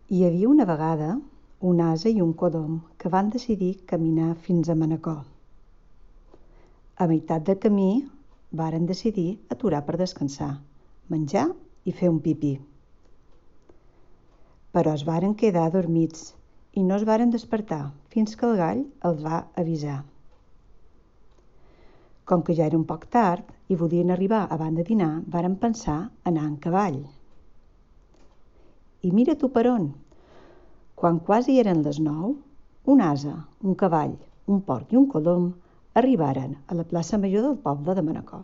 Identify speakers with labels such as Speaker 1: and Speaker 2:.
Speaker 1: Hi havia una vegada un ase i un codom que van decidir caminar fins a Manacor. A meitat de camí varen decidir aturar per descansar, menjar i fer un pipí. Però es varen quedar adormits i no es varen despertar fins que el gall els va avisar. Com que ja era un poc tard i volien arribar abans de dinar, varen pensar anar en cavall. I mira tu per on! Quan quasi eren les 9, un ase, un cavall, un porc i un codom arribaren a la plaça major del poble de Manacor.